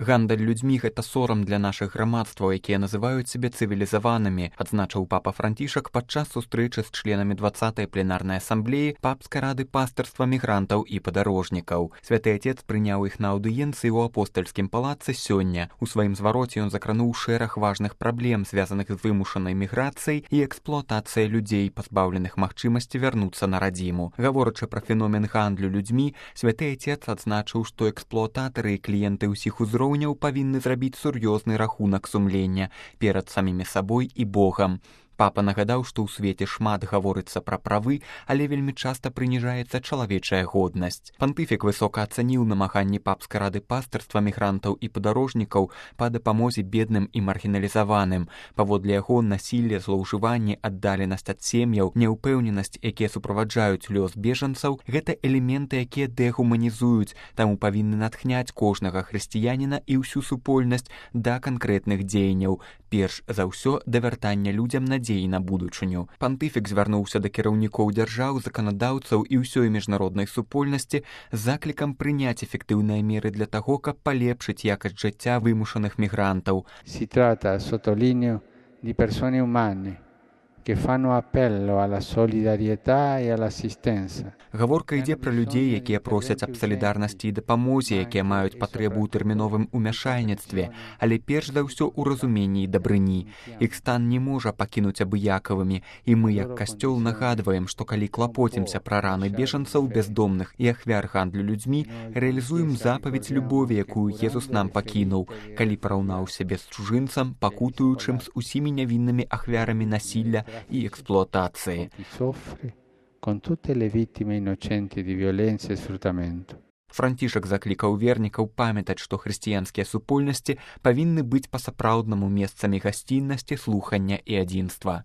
Гандаль людзьмі — гэта сорам для нашых грамадстваў, якія называюць сябе цывілізаванымі, адзначыў папа Францішак падчас сустрэчы з членамі 20-й пленарнай асамблеі папскай рады пастырства мігрантаў і падарожнікаў. Святы Отец прыняў іх на аўдыенцыі ў апостальскім палацы сёння. У сваім звароце ён закрануў шэраг важных праблем, звязаных з вымушанай міграцыяй і эксплуатацыяй людзей, пазбаўленых магчымасці вярнуцца на радзіму. Гаворачы пра феномен гандлю людзьмі, Святы Отец адзначыў, што эксплуататары і кліенты ўсіх узроўняў павінны зрабіць сур'ёзны рахунак сумлення перад самімі сабой і Богам. Папа нагадаў, што ў свеце шмат гаворыцца пра правы, але вельмі часта прыніжаецца чалавечая годнасць. Пантыфік высока ацаніў намаганні папскай рады пастырства мігрантаў і падарожнікаў па дапамозе бедным і маргіналізаваным. Паводле яго, насілле, злоўжыванне, аддаленасць ад сем'яў, няўпэўненасць, якія суправаджаюць лёс бежанцаў — гэта элементы, якія дэхуманізуюць, таму павінны натхняць кожнага хрысціяніна і ўсю супольнасць да канкрэтных дзеянняў, перш за ўсё да вяртання людзям надзеі на будучыню. Пантыфік звярнуўся да кіраўнікоў дзяржаў, заканадаўцаў і ўсёй міжнароднай супольнасці з заклікам прыняць эфектыўныя меры для таго, каб палепшыць якасць жыцця вымушаных мігрантаў. Si tratta, sottolineo, di persone umane che fanno appello alla solidarietà e all'assistenza. Гаворка ідзе пра людзей, якія просяць аб салідарнасці і дапамозе, якія маюць патрэбу ў тэрміновым умяшальніцтве, але перш за ўсё ў разуменні і дабрыні. Іх стан не можа пакінуць абыякавымі, і мы, як касцёл, нагадваем, што калі клапоцімся пра раны бежанцаў, бяздомных і ахвяр гандлю людзьмі, рэалізуем запаведь любові, якую Езус нам пакінуў, калі параўнаў сябе з чужынцам, пакутуючым з усімі нявіннымі ахвярамі насілля і эксплуатацыі. Con tutte le vittime innocenti di violenza e sfruttamento. Францішак заклікаў вернікаў памятаць, што хрысціянскія супольнасці павінны быць па-сапраўднаму месцамі гасціннасці, слухання і адзінства.